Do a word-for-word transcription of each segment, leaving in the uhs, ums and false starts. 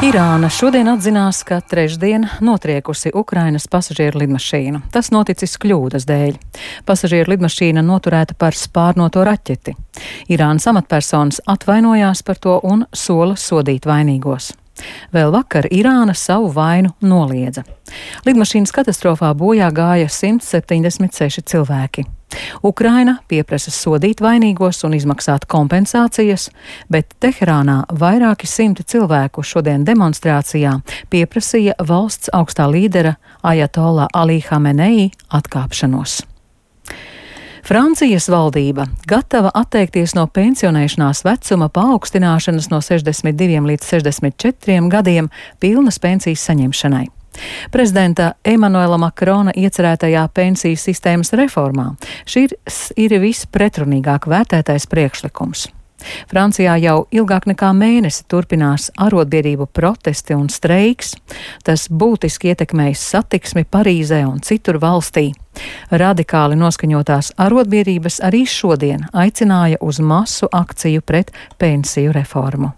Irāna šodien atzinās, ka trešdien notriekusi Ukrainas pasažieru lidmašīnu. Tas noticis kļūdas dēļ. Pasažieru lidmašīna noturēta par spārnoto raķeti. Irānas amatpersonas atvainojās par to un sola sodīt vainīgos. Vēl vakar Irāna savu vainu noliedza. Lidmašīnas katastrofā bojā gāja simt septiņdesmit seši cilvēki. Ukraina pieprasa sodīt vainīgos un izmaksāt kompensācijas, bet Teherānā vairāki simti cilvēku šodien demonstrācijā pieprasīja valsts augstā līdera Ajatolla Ali Hamenei atkāpšanos. Francijas valdība gatava atteikties no pensionēšanās vecuma paaugstināšanas no sešdesmit diviem līdz sešdesmit četriem gadiem pilnas pensijas saņemšanai. Prezidenta Emanuela Makrona iecerētajā pensiju sistēmas reformā šis ir vispretrunīgāk vērtētais priekšlikums. Francijā jau ilgāk nekā mēnesi turpinās arotbiedrību protesti un streiks. Tas būtiski ietekmējis satiksmi Parīzē un citur valstī. Radikāli noskaņotās arotbiedrības arī šodien aicināja uz masu akciju pret pensiju reformu.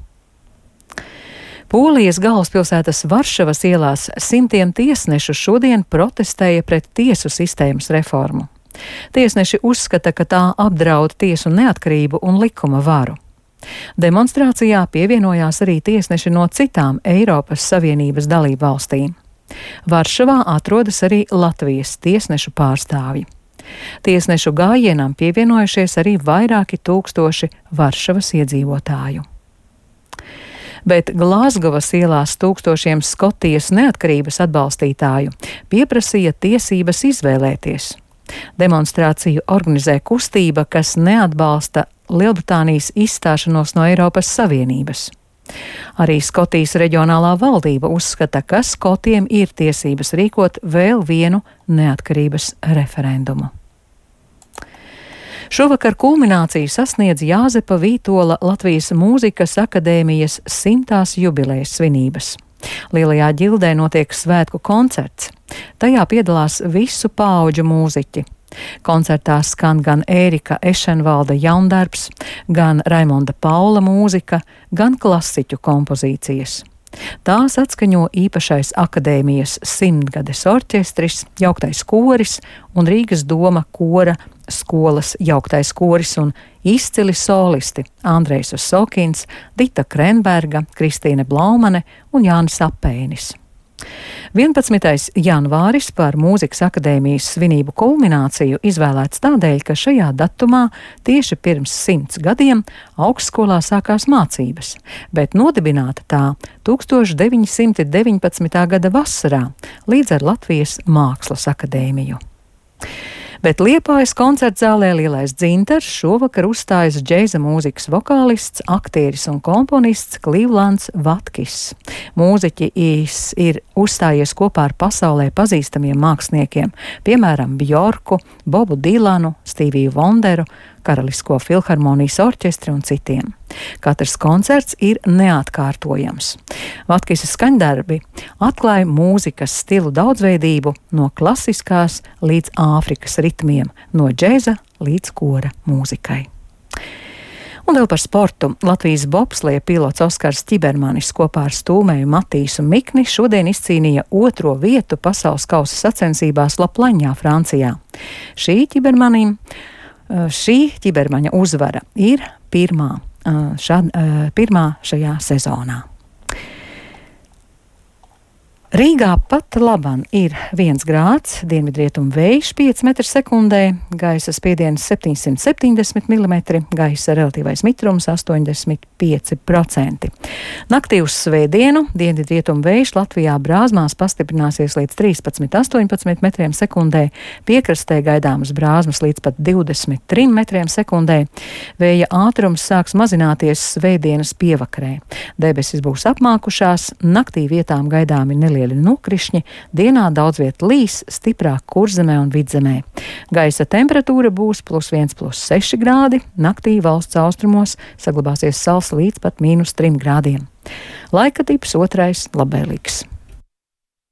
Polijas galvaspilsētas Varšavas ielās simtiem tiesnešu šodien protestēja pret tiesu sistēmas reformu. Tiesneši uzskata, ka tā apdraud tiesu neatkarību un likuma varu. Demonstrācijā pievienojās arī tiesneši no citām Eiropas Savienības dalību valstīm. Varšavā atrodas arī Latvijas tiesnešu pārstāvji. Tiesnešu gājienam pievienojušies arī vairāki tūkstoši Varšavas iedzīvotāju. Bet Glāzgovas ielās tūkstošiem Skotijas neatkarības atbalstītāju pieprasīja tiesības izvēlēties. Demonstrāciju organizē kustība, kas neatbalsta Lielbritānijas izstāšanos no Eiropas Savienības. Arī Skotijas reģionālā valdība uzskata, ka skotiem ir tiesības rīkot vēl vienu neatkarības referendumu. Šovakar kulmināciju sasniedz Jāzepa Vītola Latvijas Mūzikas akadēmijas simtās jubilejas svinības. Lielajā ģildē notiek svētku koncerts. Tajā piedalās visu paudžu mūziķi. Koncertā skan gan Ērika Ešenvalda jaundarbs, gan Raimonda Paula mūzika, gan klasiķu kompozīcijas. Tās atskaņo īpašais akadēmijas simtgades orķestris, jauktais koris un Rīgas doma kora skolas jauktais koris un izcili solisti Andrejs Osokins, Dita Krenberga, Kristīne Blaumane un Jānis Apēnis. vienpadsmitais janvāris par Mūzikas akadēmijas svinību kulmināciju izvēlēts tādēļ, ka šajā datumā tieši pirms simts gadiem augstskolā sākās mācības, bet nodibināta tā tūkstoš deviņi simti deviņpadsmitā gada vasarā līdz ar Latvijas Mākslas akadēmiju. Bet Liepājas koncertzālē Lielais dzintars šovakar uzstājas džēza mūzikas vokālists, aktieris un komponists Klīvlands Vatkis. Mūziķis ir uzstājies kopā ar pasaulē pazīstamiem māksliniekiem, piemēram Bjorku, Bobu Dilanu, Stīviju Vonderu, Karalisko filharmonijas orķestri un citiem. Katrs koncerts ir neatkārtojams. Vatkisa skaņdarbi atklāja mūzikas stilu daudzveidību no klasiskās līdz Āfrikas ritmiem, no džēza līdz kora mūzikai. Un vēl par sportu. Latvijas bobsleja pilots Oskars Ķibermanis kopā ar stūmēju Matīsu Mikni šodien izcīnīja otro vietu pasaules kausa sacensībās Laplaņā, Francijā. Šī Ķibermanim Šī Ķibermaņa uzvara ir pirmā, šad, pirmā šajā sezonā. Rīgā pat laban ir viens grāds, dienvidrietumu vējš pieci metri sekundē, gaisa spiediens septiņsimt septiņdesmit milimetri, gaisa relatīvais mitrums astoņdesmit pieci procenti. Naktī uz svētdienu dienvidrietumu vējš Latvijā brāzmās pastiprināsies līdz trīspadsmit astoņpadsmit metriem sekundē, piekrastē gaidāmas brāzmas līdz pat divdesmit trim metriem sekundē. Vēja ātrums sāks mazināties svētdienas pievakarē. Debesis būs apmākušās, naktī vietām gaidāmi nelieli nokrišņi, dienā daudz viet līs, stiprāk Kurzemē un Vidzemē. Gaisa temperatūra būs plus viens, plus seši grādi, naktī valsts austrumos saglabāsies sals līdz pat mīnus trim grādiem. Laika tips otrais labvēlīgs.